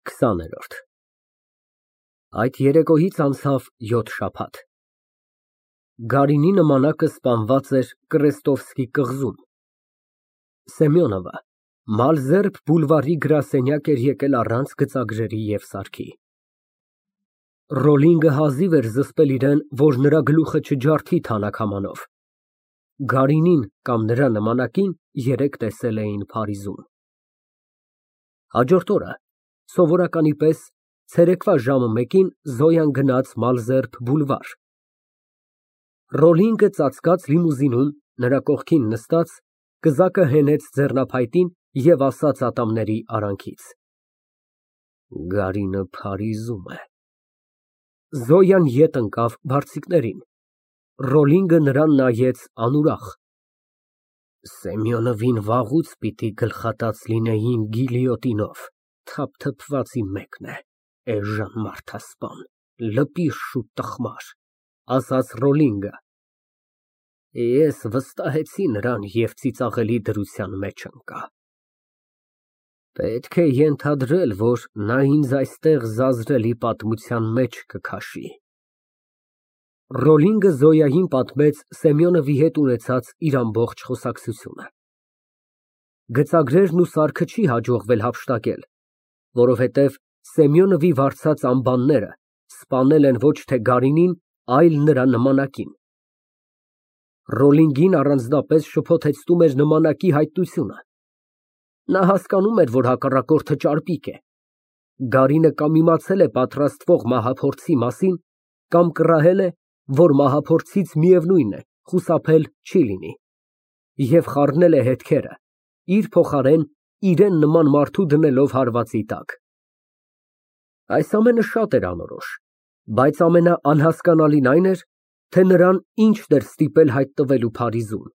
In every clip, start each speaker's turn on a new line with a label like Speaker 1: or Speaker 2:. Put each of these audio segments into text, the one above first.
Speaker 1: 20-րդ Այդ երեկոյից անցավ 7 շաբաթ։ Գարինի նմանակը սպանված էր Կրեստովսկի կղզում։ Սեմյոնովը Մալզերբ բուլվարի գրասենյակ էր եկել առանց գծագրերի և սարքի։ Ռոլինգը հազիվ էր զսպել իրան, որ նրա գլուխը չջարդի թանաքամանով։ Գարինին կամ նրա նմանակին երեկ տեսել էին Փարիզում։ Հաջորդ օրը սովորականի պես ցերեկվա ժամը 1-ին Զոյան գնաց Մալզերբ բուլվար։ Ռոլինգը ծածկած լիմուզինում, նրա կողքին նստած, կզակը հենեց ձեռնափայտին և ասաց ատամների արանքից. Գարինը Փարիզում է։ Զոյան ետ ընկավ բարձիկներին։ Ռոլինգը նրան նայեց անուրախ։ Սեմյոնովին վաղուց պիտի գլխատած լինեին գիլյոտինով, թափթփվածի մեկն է, էժան մարդասպան, լպիր շուտ տխմար, ասաց Ռոլինգը։ Ես վստահեցի նրան և ծիծաղելի դրության մեջ ընկա։ Պետք է ենթադրել, որ նա ինձ այստեղ զազրելի պատմության մեջ կքաշի։ Ռոլինգը Զոյային պատմեց Սեմյոնովի հետ ունեցած իր ամբողջ խոսակցությունը։ Գծագրերն ու սարքը չի հաջողվել հափշտակել, որովհետև Սեմյոնովի վարձած ամբանները սպանել են ոչ թե Գարինին, այլ նրա նմանակին։ Ռոլինգին առանձնապես շփոթեցնում էր նմանակի հայտնությունը։ Նա հասկանում էր, որ հակառակորդը ճարպիկ է։ Գարինը կամ իմացել է պատրաստվող մահափորձի մասին, կամ կռահել է, որ մահափորձից միևնույն է, խուսափել չի լինի, և խառնել է հետքերը, իր փոխարեն իրան նման մարդու դնելով հարվածի տակ։ Այս ամենը շատ էր անորոշ, բայց ամենաանհասկանալին այն էր, թե նրան ինչն էր ստիպել հայտնվելու Փարիզում։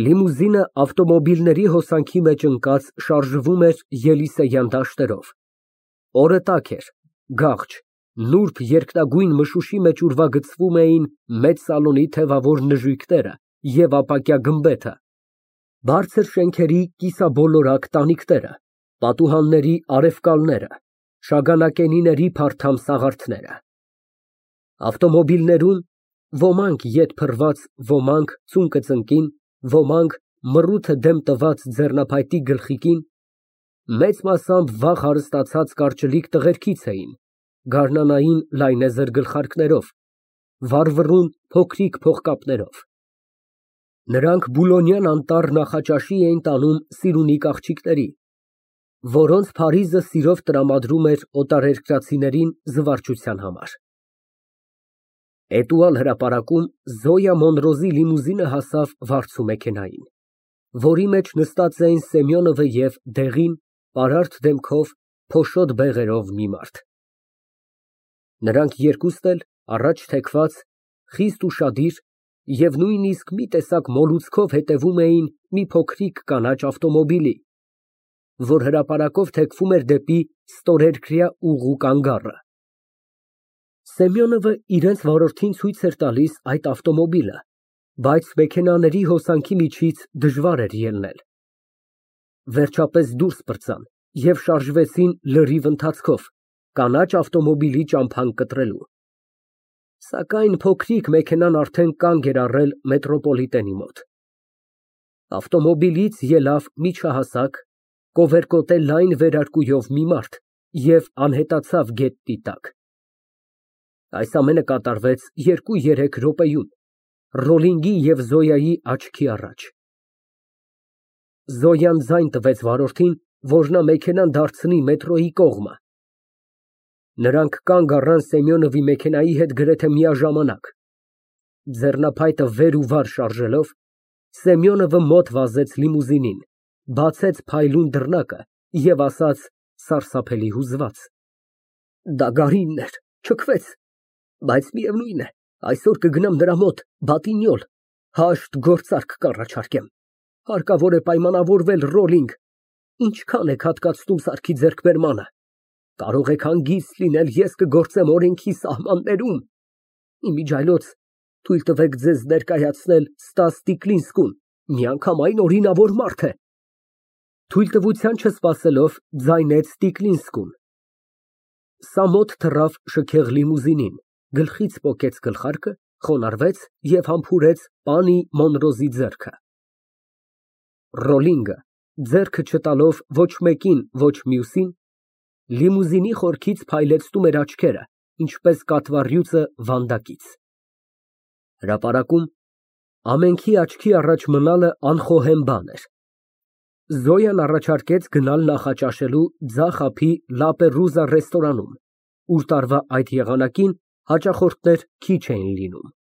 Speaker 1: Լիմուզինը ավտոմոբիլների հոսանքի մեջ ընկած շարժվում էր Ելիսեյան դաշտերով։ Օրը տաք էր, գաղջ, նուրբ երկնագույն մշուշի մեջ ուրվագծվում էին մեծ սալոնի թևավոր նժույգները և ապակյա գմբեթը, բարձր շենքերի կիսաբոլորակ տանիքները, պատուհանների արևկալները, շագանակենիների փարթամ սաղարթները։ Ավտոմոբիլներում ոմանք ետ փռված, ոմանք ծունկը ծնկին, ոմանք մռութը դեմ տված ձեռնափայտի գլխիկին, մեծ մասամբ վաղ հարստացած կարճլիկ տղերքից էին, գարնանային լայնեզր գլխարկներով, վառվռուն փոքրիկ փողկապներով։ Նրանք Բուլոնյան անտառ նախաճաշի էին տանում սիրունիկ աղջիկների, որոնց Փարիզը սիրով տրամադրում էր օտարերկրացիներին զվարճության համար։ Էտուալ հրապարակում Զոյա Մոնրոզի լիմուզինը հասավ վարձու մեքենային, որի մեջ նստած էին Սեմյոնովը և դեղին, պարարտ դեմքով, փոշոտ բեղերով մի մարդ։ Նրանք երկուստ էլ, առաջ թեքված, խիստ ուշադիր և նույնիսկ մի տեսակ մոլուցքով հետևում էին մի փոքրիկ կանաչ ավտոմոբիլի, որ հրապարակով թեքվում էր դեպի ստորերկրյա ուղու կանգառը։ Սեմյոնովը իրենց վարորդին ցույց էր տալիս այդ ավտոմոբիլը, բայց մեքենաների հոսանքի միջից դժվար էր ելնել։ Վերջապես դուրս պրծան և շարժվեցին լրիվ ընթացքով, կանաչ ավտոմոբիլի ճամփան կտրելու։ Սակայն փոքրիկ մեքենան արդեն կանգ էր առել մետրոպոլիտենի մոտ։ Ավտոմոբիլից ելավ միջահասակ, կովերկոտե լայն վերարկուով մի մարդ և անհետացավ գետնի տակ։ Այս ամենը կատարվեց 2-3 րոպեում, Ռոլինգի և Զոյայի աչքի առաջ։ Զոյան ձայն տվեց վարորդին, որ նա մեքենան դարձնի մետրոյի կողմը։ Նրանք կանգ առան Սեմյոնովի մեքենայի հետ գրեթե միաժամանակ։ Ձեռնափայտը վեր ու վար շարժելով, Սեմյոնովը մոտ վազեց լիմուզինին, բացեց փայլուն դռնակը և ասաց սարսափելի հուզված. Դա Գարինն էր, չքվեց, բայց միևնույն է, այսօր կգնամ նրա մոտ, Բատիgnolles, հաշտ գործարք կառաջարկեմ։ Հարկավոր է պայմանավորվել, Ռոլինգ, ինչքան եք հատկացնում սարքի ձեռքբերմանը։ Կարող եք հանգիստ լինել, ես կգործեմ օրենքի սահմաններում։ Իմիջիայլոց թույլ տվեք ձեզ ներկայացնել Ստաս Տիկլինսկուն, միանգամայն օրինավոր մարդ է։ Թույլտվության չսպասելով ձայնեց Տիկլինսկուն։ Սա մոտ թռավ շքեղ լիմուզինին, գլխից պոկեց գլխարկը, խոնարհվեց և համբուրեց պանի Մոնրոզի ձեռքը։ Ռոլլինգը, ձեռքը չտալով ոչ մեկին, ոչ մյուսին, լիմուզինի խորքից փայլեցնում էր աչքերը, ինչպես կատվառյուծը վանդակից։ Հրապարակում ամենքի աչքի առաջ մնալը անխոհեմ բան էր։ Զոյան առաջարկեց գնալ նախաճաշելու ձախ ափի Լապերուզա ռեստորանում, ուր տարվա այդ եղանակին հաճախորդներ քիչ էին լինում։